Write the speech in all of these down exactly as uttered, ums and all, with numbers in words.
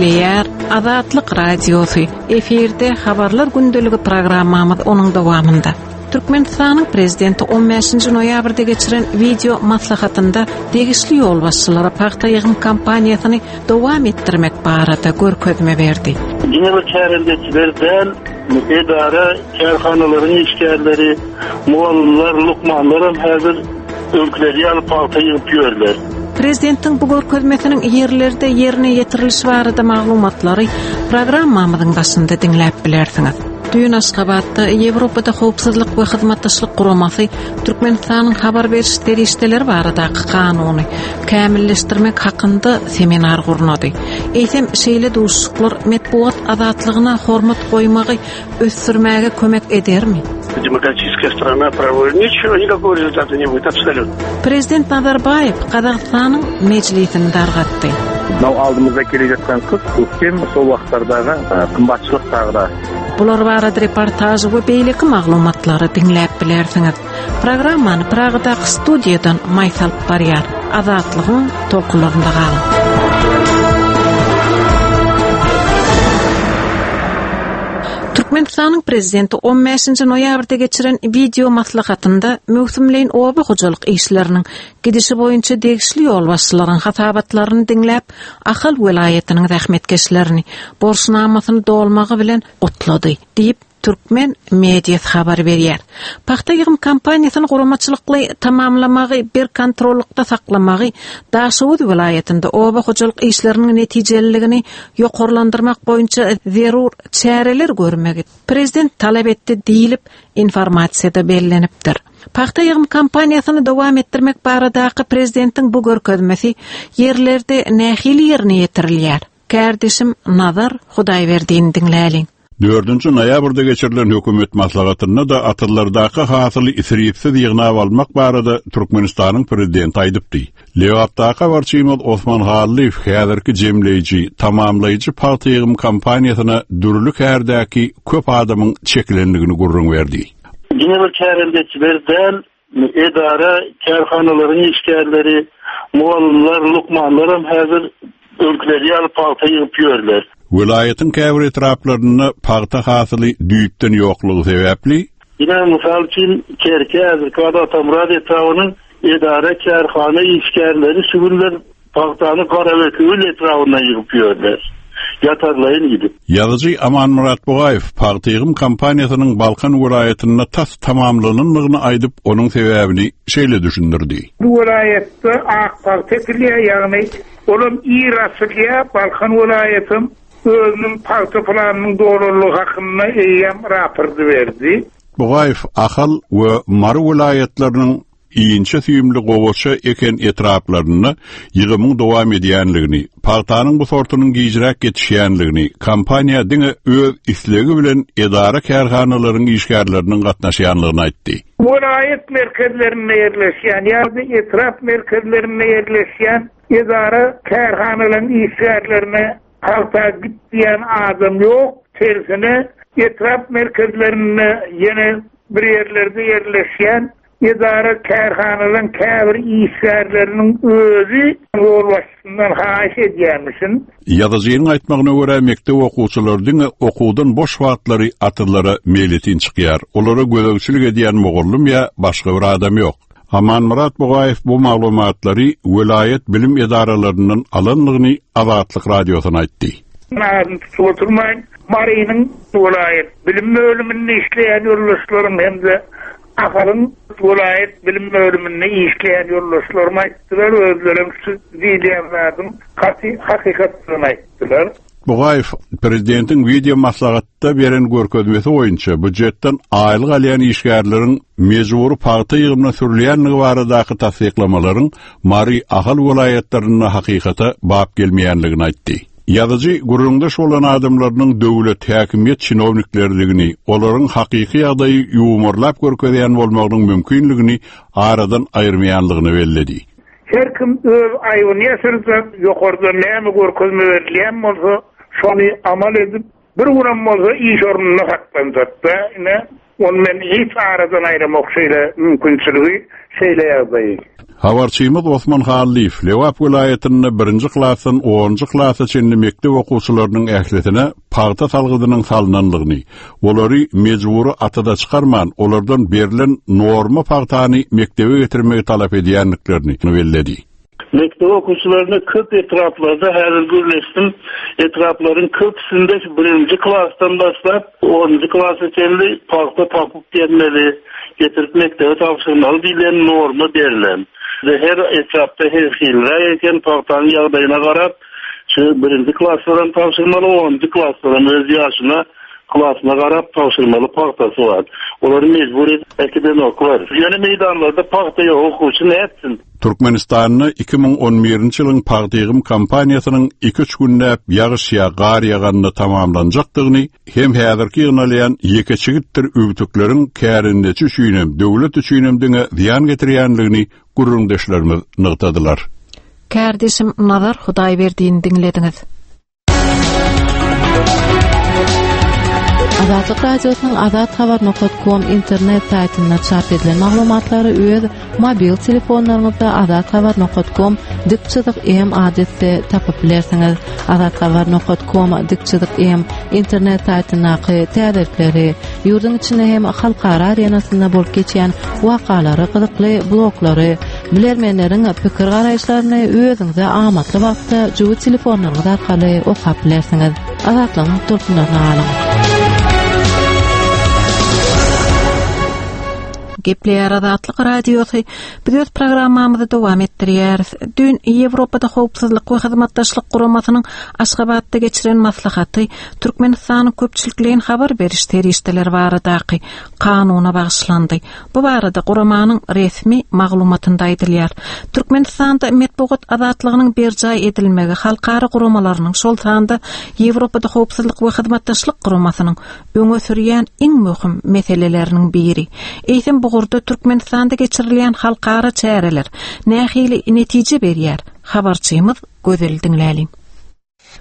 Diňleýär Azatlyk Radiosy. Efirde Habarlar gündeligi programmamyz onuň dowamynda. Türkmenistanyň prezidenti on bäşinji noýabrda geçiren wideo maslahatynda degişli ýolbaşçylara pagta ýygym kampaniýasyny dowam etdirmek barada görkezme berdi. Diňe bir kärendeçiler däl, edara, kärhanalaryň işgärleri, mugallymlar, lukmanlar hem häzir öňküleri ýaly pagta ýygyp ýörler. Prezidentiň bu görkezmesiniň ýerlerde ýerine ýetirilişi barada maglumatlary programmamyzyň başynda diňläp bilersiňiz. Düýn Aşgabatda Ýewropada Howpsuzlyk we Hyzmatdaşlyk Guramasy Türkmenistanyň habar beriş serişdeleri baradaky kanuny kämilleşdirmek hakynda seminar gurnady. Eýsem şeýle duşuşyklar metbugat azatlygyna hormat goýmagy ösdürmäge kömek edermi? Демократическая страна правовой. Ничего, никакого результата не будет, абсолютно. Prezident Nazarbaýew Gazagystanyň mejlisini dargatdy. Мынау алдымызда келе жатқан қыс, көктем, сол уақыттардағы, ы, қымбатшылық тағы да. Bular barada reportaj we beýleki maglumatlary diňläp bilersiňiz. Programmany Pragadaky studiýadan Maýsa alyp barýar. Azatlygyň tolkunlarynda galyň. Türkmenistanyň prezidenti on bäşinji noýabrda geçiren wideo maslahatynda möwsümleýin oba hojalyk işleriniň gidişi boýunça degişli ýolbaşçylaryň hasabatlaryny diňläp, Ahal welaýatynyň zähmetkeşlerini borçnamasyny dolmagy bilen gutlady diýip Türkmen mediasy habar berýär. Pagta ýygym kampaniýasyny guramaçylykly tamamlamagy, bir kontrollykda saklamagy, Daşoguz welaýatynda oba hojalyk işleriniň netijeliligini ýokarlandyrmak boýunça zerur çäreler görmegi prezident talap etdi diýilip informasiýada bellenipdir. Pagta ýygym kampaniýasyny dowam etdirmek baradaky prezidentiň bu görkezmesi ýerlerde nähili ýerine ýetirilýär? Kärdeşim Nazar Hudaýberdini diňläliň. Dördünji noýabrda geçirilen hökümet maslahatynda da atyrlardaky hasyly isripsiz ýygnap almak barada Türkmenistanyň prezidenti aýdypdy. Lebapdaky habarçymyz Osman Hallyýew häzirki jemleýji, tamamlaýjy pagta ýygym kampaniýasyna dürli kärdäki köp adamyň çekilenligini gürrüň berdi. Diňe bir kärendeçiler däl, edara, kärhanalaryň işgärleri, mugallymlar, lukmanlar hem häzir öňküleri ýaly pagta ýygyp ýörler. Welaýatyň käbir etraplarynda pagta hasyly düýpden ýoklugy sebäpli Ýene mysal üçin Kerki, häzirki Atamyrat etrabynyň edara, kärhana işgärleri şu günler pagtany Garabekewül etrabyndan ýygyp ýörler. Ýatarlaýyn gidip. Ýazyjy Amanmyrat Bugaýew pagta ýygym kampaniýasynyň Balkan welaýatynda tas tamamlanandygyny aýdyp, onuň sebäbini şeýle düşündirdi. Bu welaýatda ak pagta ekilýär, ýagny olam ir açylýar, Balkan welaýatym özüniň pagta planynyň dolanlygy hakynda eýýäm raporty berdi. Bugaýew Ahal we Mary welaýatlarynyň inçe süýümli gowaça eken etraplarynda ýygymyň dowam edýänligini, pagtanyň bu sortunyň gijräk ýetişýänligini, kampaniýa diňe öz islegi bilen edara kärhanalaryň işgärleriniň gatnaşýanlygyny aýtdy. Welaýat merkezlerinde ýerleşýän ýa-da etrap merkezlerinde ýerleşýän edara kärhanalaryň işgärlerine pagta gitýän adam ýok, tersine etrap merkezlerinde ýene bir ýerlerde ýerleşýän edara kärhanalaryň käbir işgärleriniň özi ýolbaşçysyndan haýyş edýärmişin. Ýazyjynyň aýtmagyna görä mekdep okuwçylary diňe okuwdan boş wagtlary atyrlara meýletin çykýar. Olara gözegçilik edýän mugallym ýa başga bir adam ýok. Amanmyrat Bugaýew bu maglumatlary welaýat bilim edaralaryndan alanlygyny Azatlyk radiosyna aýtdy. Adyny tutup oturmaýyn. Marynyň welaýat bilim bölüminde işleýän ýoldaşlarym hem-de Ahalyň welaýat bilim bölüminde işleýän ýoldaşlarym aýtdylar, özlerem şu diýilýän zadyň gaty hakykatdygyny aýtdylar. Bugaýew prezidentiň wideo maslahatda beren görkezmesi boýunça býujetden aýlyk alýan işgärleriň mejbury pagta ýygymyna sürülýänligi baradaky tassyklamalaryň Mary Ahal welaýatlarynda hakykata bap gelmeýänligini aýtdy. Ýazyjy gürrüňdeş bolan adamlarynyň döwlet häkimiýet çinowniklerligini, olaryň hakyky ýagdaýy ýuwmarlap görkezýän bolmagynyň mümkinligini aradan aýyrmaýanlygyny belledi. Her kim öz aýyny ýaşyrsa, ýokardan näme görkezme berilýän bolsa, şony amal edip, bir günem bolsa iş ornunda saklansak da, ine Ony men hiç aradan aýramok şeýle mümkinçiligi, şeýle ýagdaýy. Habarçymyz Osman Hallyýew Lebap welaýatynda birinji klasdan onunjy klasa çenli mekdep okuwçylarynyň ählisine pagta salgydynyň salnanlygyny, olary mejbury atada çykarman, olardan berlen norma pagtany mekdebe getirmegi talap edýändiklerini belledi. Mekdep okuwçylaryna köp etraplarda häzir gürleşdim. Etraplaryň köpüsinde birinji klasdan başlap onunjy klasa çenli pagta tapyp gelmeli, getirip mekdebe tabşyrmaly diýlen norma berlen. Ve her etrapda her hilräk eken pagtanyň ýagdaýyna garap, şu birinji klaslardan tabşyrmaly, onunjy klaslardan öz ýaşyna klasyna garap tabşyrmaly pagtasy bar. Olary mejbur edip äkidenoklar. Ýöne meýdanlarda pagta ýok, okuwçy nätsin? Türkmenistanda iki müň on birinji ýylyň pagta ýygym kampaniýasynyň iki-üç günläp ýagyş ýa gar ýaganda tamamlanjakdygyny hem häzirki ýygnalýan ýeke çigitdir üwtükleriň kärendeçi üçinem, döwlet üçinem diňe zyýan getirýänligini gürrüňdeşlerimiz nygtadylar. Kärdeşim Nazar Hudaýberdiýni diňlediňiz. Azatlyk Radiosynyň Azat Habar nokta com internet saýtynda çap edilen maglumatlary öz mobil telefonlaryňyzda Azat Habar nokta com dik çyzyk M adresde tapyp bilersiňiz. Azat Habar nokta com dik çyzyk M internet saýtyndaky täzelikleri, ýurduň içinde hem halkara arenasynda bolup geçýän wakalary, gyzykly bloglary, bilermenleriň pikir garaýyşlaryny özüňize amatly wagtda jübi telefonlaryňyz arkaly okap bilersiňiz. Azatlygyň tolkunlaryna galyň. Gepleýär Azatlyk Radiosy. Biz öz programmamyzy dowam etdirýäris. Dün Ýewropada Howpsuzlyk we Hyzmatdaşlyk Guramasynyň Aşgabatda geçiren maslahaty Türkmenistanyň köpçülikleýin habar beriş serişdeleri baradaky kanuna bagyşlandy. Bu barada guramanyň resmi maglumatynda aýdylýar. Türkmenistanda metbugat azatlygynyň berjaý edilmegi halkara guramalarynyň, şol sanda Ýewropada Howpsuzlyk we Hyzmatdaşlyk Guramasynyň öňe sürýän iň möhüm meseleleriniň biri. Eýsem bu ugurda Türkmenistanda geçirilýän halkara çäreler nähili netije berýär? Habarçymyz Gözel diňläliň.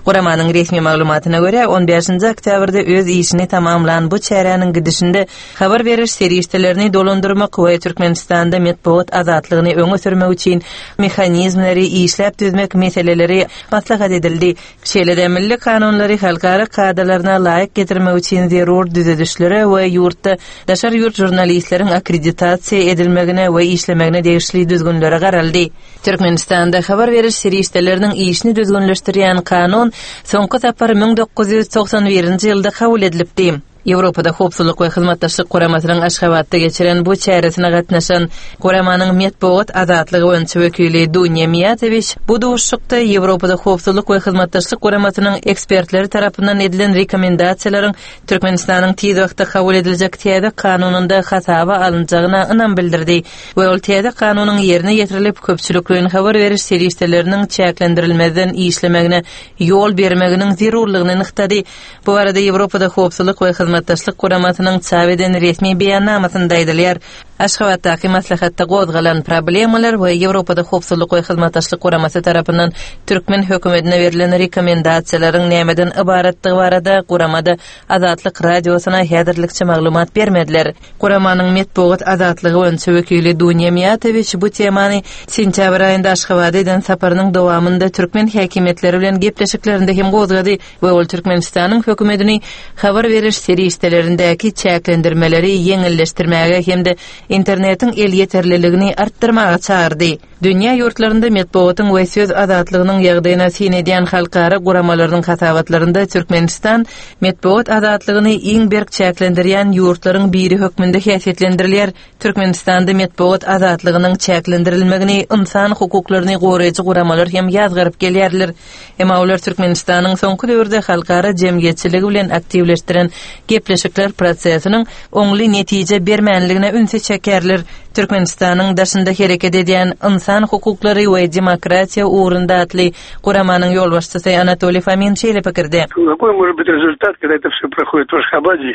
Guramanyň resmi maglumatyna görä on bäşinji oktýabrda öz işini tamamlan bu çäräniň gidişinde habar beriş serişdelerini dolandyrmak we Türkmenistanda metbugat azatlygyny öňe sürmek üçin mehanizmleri işläp düzmek meseleleri maslahat edildi. Şeýle-de milli kanunlary halkara kadalaryna laýyk getirmek üçin zerur düzedişlere we ýurtda daşary ýurt žurnalistleriň akkreditasiýa edilmegine we işlemegine degişli düzgünlere garaldy. Türkmenistanda habar beriş serişdeleriniň işini düzgünleşdirýän kanun soňky sapar müň dokuz ýüz togsan birinji ýylda kabul edilipdi. Ýewropada Howpsuzlyk we Hyzmatdaşlyk Guramasynyň Aşgabatda geçiren bu çäresine gatnaşan guramanyň metbugat azatlygy boýunça wekili Dunýa Miýatowiç bu duşuşykda Ýewropada Howpsuzlyk we Hyzmatdaşlyk Guramasynyň ekspertleri tarapyndan edilen rekomendasiýalaryň Türkmenistanyň tiz wagtda kabul ediljek täze kanunynda hasaba alynjagyna ynam bildirdi we ol täze kanunyň ýerine ýetirilip köpçülikleýin habar beriş serişdeleriniň çäklendirilmezden işlemegine ýol bermeginiň zerurlygyny nygtady. Bu arada Ýewropada Howpsuzlyk we Hyzmatdaşlyk Guramasynyň çap eden resmi beýannamasynda aýdylýar. Aşgabatdaky maslahatda gozgalan problemalar we Ýewropada Howpsuzlyk we Hyzmatdaşlyk Guramasy tarapyndan türkmen hökümetine berlen rekomendasiýalaryň nämeden ybaratdygy barada guramada Azatlyk Radiosyna häzirlikçe maglumat bermediler. Guramanyň metbugat azatlygy boýunça wekili Dunýa Miýatowiç bu temany sentýabr aýynda Aşgabada eden saparynyň dowamynda türkmen häkimiýetleri bilen gepleşiklerinde hem gozgady we ol Türkmenistanyň hökümetini habar beriş serişdelerindäki çäklendirmeleri ýeňilleşdirmäge hem-de internetiň elýeterliligini artdyrmaga çagyrdy. Dünýä ýurtlarynda metbugatyň we söz azatlygynyň ýagdaýyna syn edýän halkara guramalarynyň hasabatlarynda Türkmenistan metbugat azatlygyny iň berk çäklendirýän ýurtlaryň biri hökmünde häsiýetlendirilýär. Türkmenistanda metbugat azatlygynyň çäklendirilmegini insan hukuklaryny goraýjy guramalar hem ýazgaryp gelýärler. Emma olar Türkmenistanyň soňky döwürde halkara jemgyýetçiligi bilen aktiwleşdiren gepleşikler prosesiniň oňly netije bermänligine ünsi çekerler. Türkmenistanyň daşynda hereket edýän insan hukuklary we demokratiýa ugrunda atly guramanyň ýolbaşçysy Anatoliy Fomin şeýle pikirde. Какой может быть результат, когда это все проходит в Ашхабаде,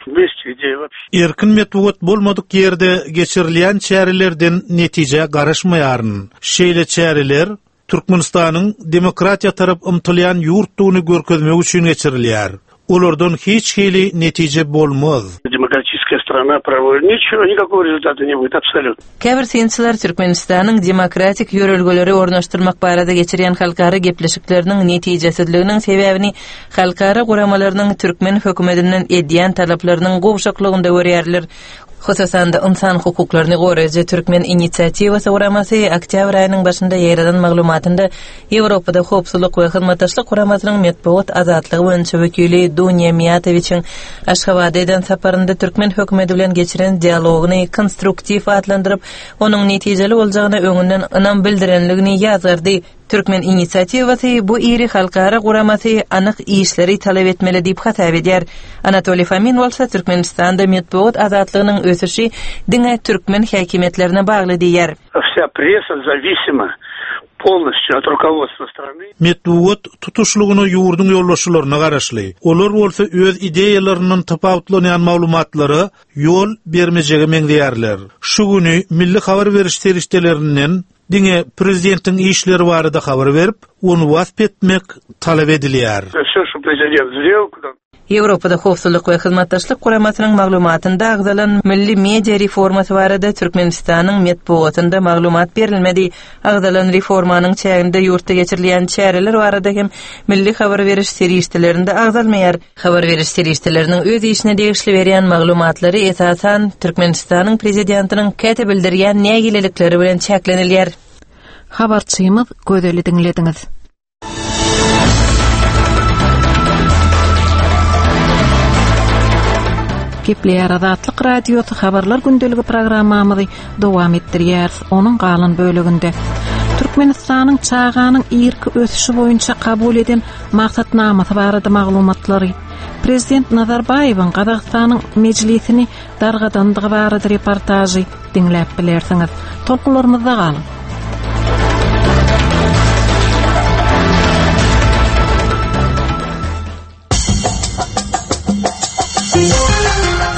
в месте, где вообще Erkin metbugat bolmadyk ýerde geçirilýän çärelerden netije garaşmaýaryn. Şeýle çäreler Türkmenistanyň demokratiýa tarap ymtylýan ýurtdugyny görkezmek üçin geçirilýär. Olardan hiç hili netije bolmaz. Демократическая страна проводит. Ничего, никакого результата не будет, абсолютно. Käbir synçylar Türkmenistanyň demokratik ýörelgeleri ornaşdyrmak barada geçirýän halkara gepleşikleriniň netijesizliginiň sebäbini halkara guramalarynyň türkmen hökümetinden edýän talaplarynyň gowşaklygynda görýärler. Hususan-da ynsan hukuklaryny goraýjy Türkmen inisiatiwasy guramasy oktýabr aýynyň başynda ýaýradan maglumatynda Ýewropada howpsuzlyk we hyzmatdaşlyk guramasynyň metbugat azatlygy boýunça wekili Dunýa Miýatowiçiň Aşgabatda eden saparynda türkmen hökümeti bilen geçiren dialogyny konstruktiw atlandyryp, onuň netijeli boljagyna öňünden ynam bildirenligini ýazgardy. Türkmen inisiatiwasy bu iri halkara guramasy anyk işleri talap etmeli diýip hasap edýär. Anatoliy Fomin bolsa Türkmenistanda metbugat azatlygynyň ösüşi diňe türkmen häkimiýetlerine bagly diýýär. Вся пресса зависима полностью от руководства страны. Metbugat tutuşlygyna ýurduň ýolbaşçylaryna garaşly. Olar bolsa öz ideýalaryndan tapawutlanýan maglumatlara ýol bermejege meňzeýärler. Şu güni milli habar beriş serişdelerinden diňe prezidentiň işleri barada habar berip, ony wasp etmek talap edilýär. Все, что президент сделал, куда Ýewropada howpsuzlyk we hyzmatdaşlyk guramasynyň maglumatynda agzalan milli media reformasy barada Türkmenistanyň metbugatynda maglumat berilmedi. Agzalan reformanyň çäginde ýurtda geçirilýän çäreler barada hem milli habar beriş serişdelerinde agzalmaýar. Habar beriş serişdeleriniň öz işine degişli berýän maglumatlary esasan Türkmenistanyň prezidentiniň käte bildirýän nägilelikleri bilen çäklenilýär. Habarçymyz Gözeli diňlediňiz. Gepleýär Azatlyk Radiosy habarlar gündeligi programmamyzy dowam etdirýär. Onuň galan böleginde Türkmenistanyň çaganyň irki ösüşi boýunça kabul eden maksatnamasy barada maglumatlary, Prezident Nazarbaýewiň Gazagystanyň mejlisini dargadandygy barada reportažy diňläp bilersiňiz. Tolkunlarymyzda galyň.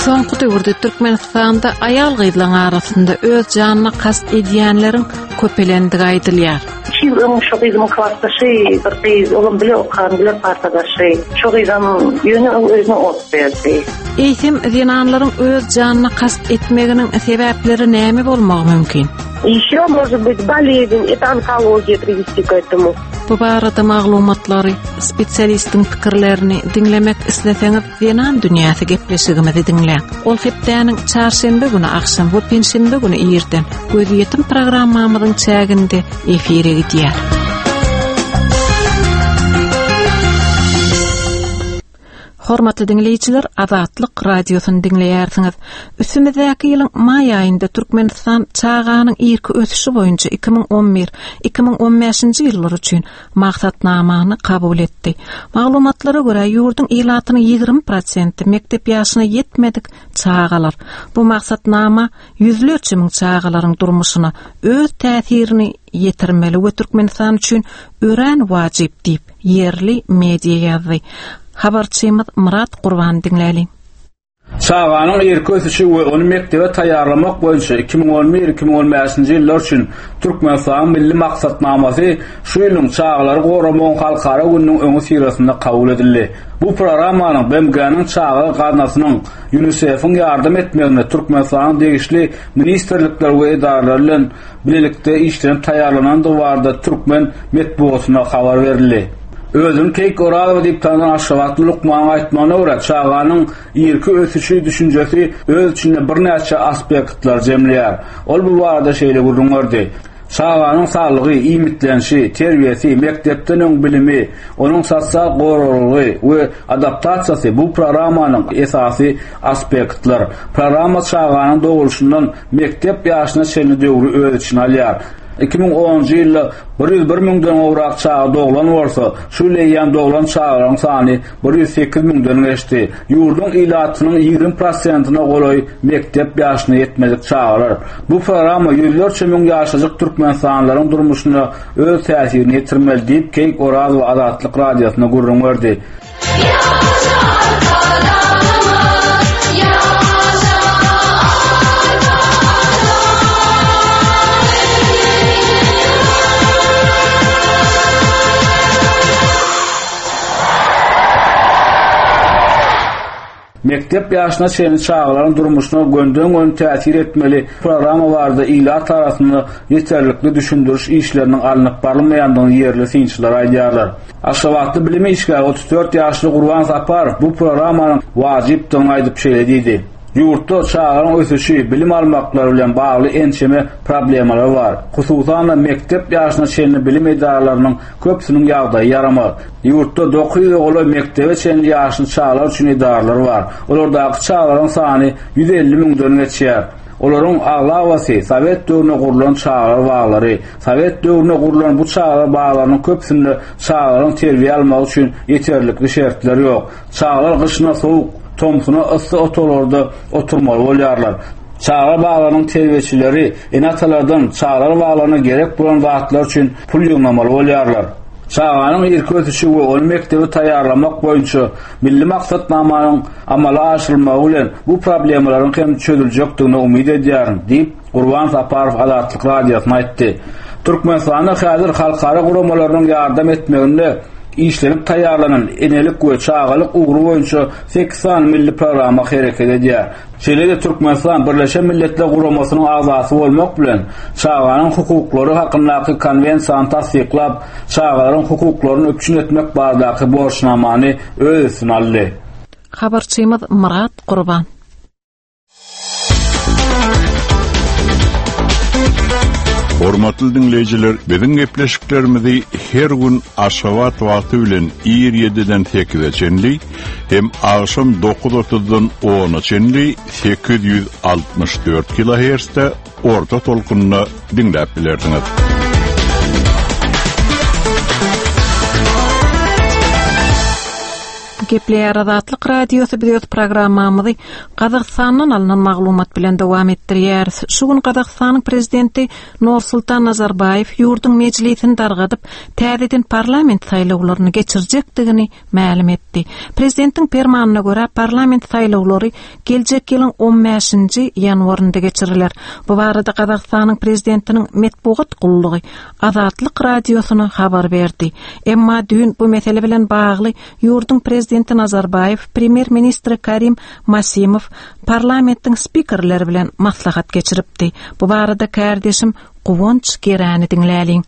Soňky döwürde Türkmenistanda aýal gyzlaryň arasynda öz janyna kast edýänleriň köpelendigi aýdylýar. Üç ýyl öň şu gyzymyň klasdaşy, bir gyz, olam bile okan, bile partadaşy. Şu gyzam ýöne özüne ot berdi. Eýsem zenanlaryň öz janyna kast etmeginiň sebäpleri näme bolmagy mümkin? Еще может быть болезнь, это онкология привести к этому. Bu barada maglumatlary, spesialistiň pikirlerini diňlemek isleseňiz, Zenan dünýäsi gepleşigimizi diňläň. Ol hepdäniň çarşenbe güni agşam we penşenbe güni irden gözýetim programmamyzyň çäginde efire gidýär. Hormatly diňleýjiler, Azatlyk radiosyny diňleýärsiňiz. Üstümizdäki ýylyň maý aýynda Türkmenistan çaganyň irki ösüşi boýunça iki müň on bir, iki müň on bäşinji ýyllar üçin maksatnamany kabul etdi. Maglumatlara görä ýurduň ilatynyň ýigrimi prosenti mekdep ýaşyna ýetmedik çagalar. Bu maksatnama ýüzlerçe müň çagalaryň durmuşyna öz täsirini ýetirmeli we Türkmenistan üçin örän wajyp diýip ýerli media ýazdy. Habarçymyz Murat Gurban diňläli. Çaganyň irki ösüşi we ony mekdebe taýýarlamak boýunça iki müň on bir, iki müň on bäşinji ýyllar üçin Türkmenistanyň milli maksatnamasy şu ýylyň çagalary goramagyň halkara gününiň öňi syrasynda kabul edildi. Bu programmanyň B M G-niň çaga gaznasynyň UNICEF-iň ýardam etmegine Türkmenistanyň degişli ministrlikler we edaralar bilen birlikde işlenip taýýarlanandygy barada türkmen metbugatyna habar berildi. Özüni Keýik Orazowa diýip tanylan Aşgabatly lukmanyň aýtmagyna görä, çaganyň irki ösüşi düşünjesi öz içinde birnäçe aspektler jemleýär. Ol bu barada şeýle gürrüň berdi. Çaganyň saglygy, iýmitlenişi, terbiýesi, mekdepden öň bilimi, onuň sosial goraglygy we adaptasiýasy bu programmanyň esasy aspektler. Programma çaganyň doguluşyndan mekdep ýaşyna çenli döwri öz içine alýar. Iki müň onunjy ýylda bir ýüz bir müňden gowrak çaga doglan bolsa, şu ýyl eýýäm doglan çagalaryň sany bir ýüz sekiz müňden geçdi. Ýurduň ilatynyň ýigrimi prosentine golaý mekdep ýaşyna ýetmedik çagalar. Bu programma ýüzlerçe müň ýaşajyk Türkmenistanlylaryň durmuşyna öz täsirini ýetirmeli diýip Keýik Orazowa Azatlyk radiosyna gürrüň berdi. Mekdep ýaşyna çenli çagalaryň durmuşyna gönden-göni täsir etmeli programma barada ilat arasynda ýeterlikli düşündiriş işleriniň alnyp barylmaýandygyny ýerli synçylar aýdýarlar. Aşgabatda bilim işgäri otuz dört ýaşly Gurban Saparow bu programmanyň wajypdygyny aýdyp şeýle diýdi. Ýurtda çagalaryň ösüşi, bilim almaklary bilen bagly ençeme problemalar bar. Hususan-da mekdep ýaşyna çenli bilim edaralarynyň köpüsiniň ýagdaýy ýaramaz. Ýurtda dokuz ýüze golaý mekdebe çenli ýaşly çagalar üçin edaralar bar. Olardaky çagalaryň sany ýüz elli müňden geçýär. Olaryň aglabasy Sowet döwründe gurlan çagalar baglary. Sowet döwründe gurlan bu çagalar baglarynyň köpüsinde çagalaryň terbiýe almagy üçin ýeterlikli şertler ýok. Çagalar gyşyna sowuk, tomsuna yssy otaglarda oturmaly bolýarlar. Çagalar baglarynyň terbiýeçileri ene-atalardan çagalar baglaryna gerek bolan zatlar üçin pul ýygnamaly bolýarlar. Çaganyň irki ösüşi we ony mekdebe taýýarlamak boýunça milli maksatnamanyň amala aşyrylmagy bilen bu problemalaryň hem çözüljekdigine umyt edýärin, diýip, Gurban Saparow Azatlyk Radiosyna aýtdy. Türkmenistanda häzir halkara guramalarynyň ýardam etmeginde işlenip taýýarlanan enelik we çagalyk ugry boýunça sekiz sany milli programma hereket edýär. Şeýle-de Türkmenistan Birleşen Milletler Guramasynyň agzasy bolmak bilen, çaganyň hukuklary hakyndaky konwensiýany tassyklap, çagalaryň hukuklaryny üpjün etmek baradaky borçnamany öz üstüne aldy. Habarçymyz Myrat Gurban. Hormatly diňleýjiler, biziň gepleşiklerimizi her gün Aşgabat wagty bilen ir ýediden sekize çenli hem agşam dokuz otuzdan ona çenli sekiz ýüz altmyş dört kilohertzde orta tolkunda diňläp bilersiňiz. Gepleýär Azatlyk Radiosy biz öz programmamyzy Gazagystandan alynan maglumat bilen dowam etdirýäris. Şu gün Gazagystanyň prezidenti Nursultan Nazarbaýew ýurduň mejlisini dargadyp, täzeden parlament saýlawlaryny geçirjekdigini mälim etdi. Prezidentiň permanyna görä parlament saýlawlary geljek ýylyň on bäşinji ýanwarynda geçiriler. Bu barada Gazagystanyň prezidentiniň metbugat gullugy Azatlyk Radiosyna habar berdi. Emma düýn bu mesele bilen bagly ýurduň prezidenti Nazarbaýew, premýer-ministri Karim Masimow parlamentiň spikerleri bilen maslahat geçiripdi. Bu barada kardeşim Guwanç Gerani diňläliň.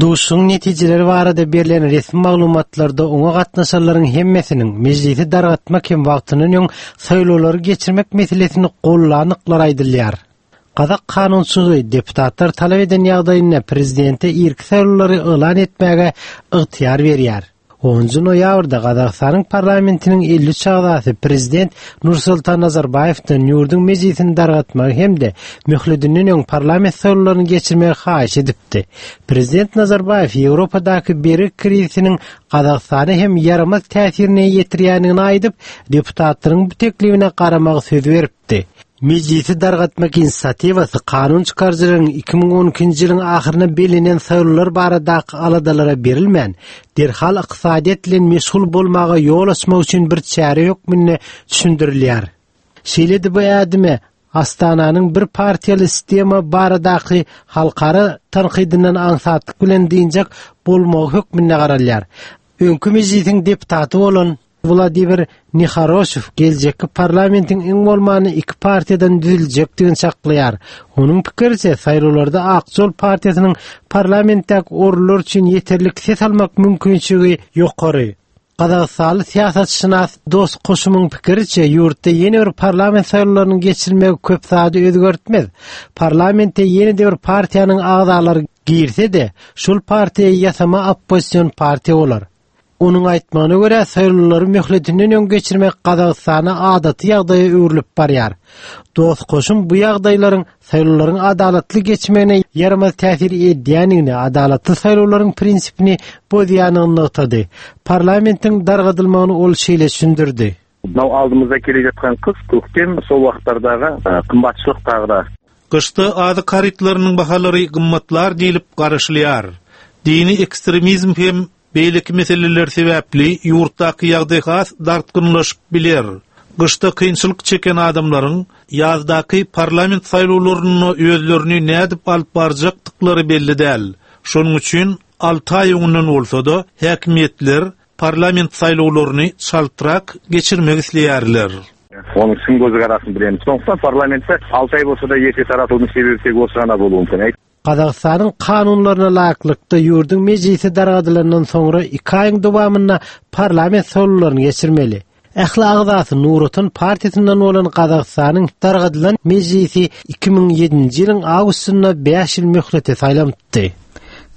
Duşuň netijeleri barada berlen resmi maglumatlarda oňa gatnaşanlaryň hemmesiniň mejlisi dargatmak hem wagtyndan öň saýlawlary geçirmek meselesini gollanyklar aýdylýar. Gazak kanunçylygy deputatlar talap eden ýagdaýynda prezidente irki saýlawlary yglan etmäge ygtyýar berýär. Onuncu noýabrda Gazagystanyň parlamentiniň elli üç agzasy prezident Nursultan Nazarbaýewden ýurduň mejlisini dargatmagy hem-de möhletinden öň parlament saýlawlaryny geçirmegi haýyş edipdi. Prezident Nazarbaýew Ýewropadaky bergi krizisiniň Gazagystana hem ýaramaz täsirini ýetirýändigini aýdyp, deputatlaryň bu teklibine garamagy söz beripdi. Mejlisi dargatmak inisiatiwasy kanun çykaryjylaryň iki müň on ikinji ýylyň ahyryna bellenen saýlawlar baradaky aladalara berilmän, derhal ykdysadyýet bilen meşgul bolmaga ýol açmak üçin bir çäre hökmünde düşündirilýär. Şeýle-de bu ädime Astananyň bir partiýaly sistema baradaky halkara tanqidyndan aňsatlyk bilen dynjak bolmagy hökmünde garalýar. Öňki mejlisiň deputaty bolan Wladimir Nihoroşew geljekki parlamentiň iň bolmany iki partiýadan düzüljekdigini çaklaýar. Onuň pikiriçe, saýlawlarda Ak Jol partiýasynyň parlamentdäki orunlar üçin ýeterlik ses almak mümkinçiligi ýokary. Gazagystanly syýasatşynas Dos Koşumyň pikiriçe, ýurtda ýene bir parlament saýlawlarynyň geçirilmegi köp zady özgertmez. Parlamente ýene de bir partiýanyň agzalary girse-de, şol partiýa ýasama oppozision partiýa bolar. Onuň aýtmagyna görä, saýlawlary möhletinden öň geçirmek Gazagystana adaty ýagdaýa öwrülip barýar. Dos Koşum bu ýagdaýlaryň saýlawlaryň adalatly geçmegine ýaramaz täsir edýändigini, adalatly saýlawlaryň prinsipini bozýandygyny nygtady. Parlamentiň dargadylmagyny ol şeýle düşündirdi. Мынау алдымызда келе жатқан қыс, көктем, сол уақыттардағы, э, қымбатшылық тағы да. Gyşda azyk harytlarynyň bahalary gymmatlar diýlip garaşylýar. Dini ekstremizm hem beýleki meseleler sebäpli ýurtdaky ýagdaý has dartgynlaşyp biler. Gyşda kynçylyk çeken adamlaryň ýazdaky parlament saýlawlaryny özlerini nädip alyp barjakdyklary belli däl. Şonuň üçin alty aý öňünden bolsa-da häkimiýetler parlament saýlawlaryny çaltrak geçirmek isleýärler. Оның сын көзі қарасын білеміз. Сондықтан parlamentde алты ай болса да ерте таратылудың себебі тек осы ғана болуы мүмкін. Gazagystanyň kanunlaryna laýyklykda ýurduň mejlisi dargadylandan soňra iki aýyň dowamynda parlament saýlawlaryny geçirmeli. Ähli agzasy Nur Otan partiýasyndan bolan Gazagystanyň dargadylan mejlisi iki müň ýedinji ýylyň awgustynda bäş ýyl möhlete saýlanypdy.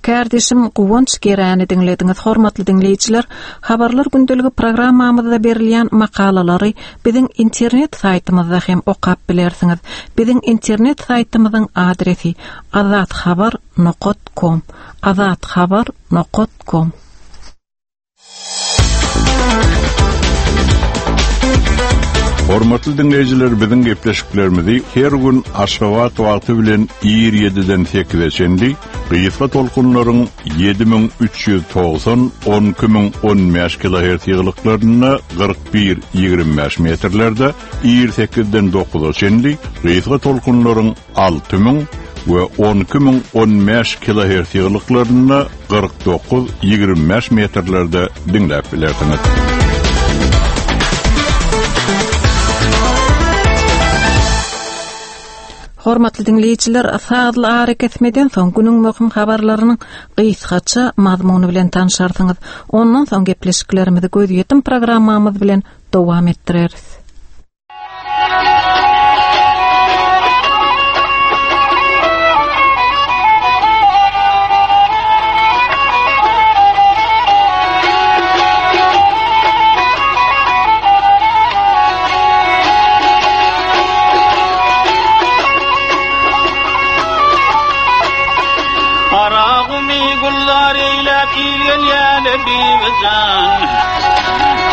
Kardeşim Guwanç Geräni diňlediňiz, hormatly diňleýjiler. Habarlar gündeligi programmamyzda berilýän makalalary biziň internet saýtymyzda hem okap bilersiňiz. Biziň internet saýtymyzyň adresi azathabar nokta com, azathabar nokta com. Hormatly dinleýjiler, biziň gepleşiklerimizi her gün Aşgabat wagty bilen ir ýediden sekize çenli gysga tolkunlaryň ýedi müň üç ýüz togsan on iki müň on bäş kilohertz ýygylyklarynda kyrk bir ýigrimi bäş metrlerde ir sekizden dokuza çenli gysga tolkunlaryň alty müň we on iki müň on bäş kilohertz ýygylyklarynda kyrk dokuz ýigrimi bäş metrlerde diňläp bilersiňiz. Hormatly dinleýjiler, sazly ara kesmeden soň günüň möhüm habarlarynyň gysgaça mazmuny bilen tanşarsyňyz. Ondan soň gepleşiklerimizi gözýetim programmamyz bilen dowam etdireris.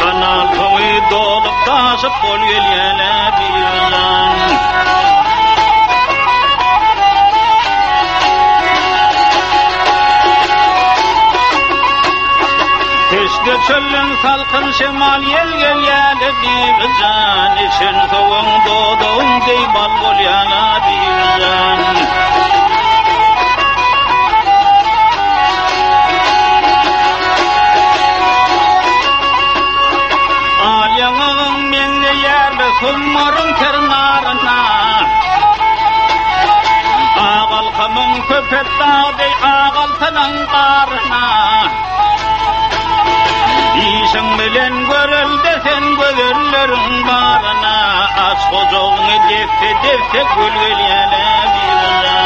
Kanal towy dolup taşyp bol gelýäne bijan. Teşne çölün salkın şemal ýel gelýäne bijan. İçin soğun dodağın dey bal bolýana bijan. Kummarın ternarına Ağalkamın köpet dağ ağaltanın qarına İşin bilen görülde sen gözellerin barına Aç kocoğunu defte defte gül gelýäne bijan.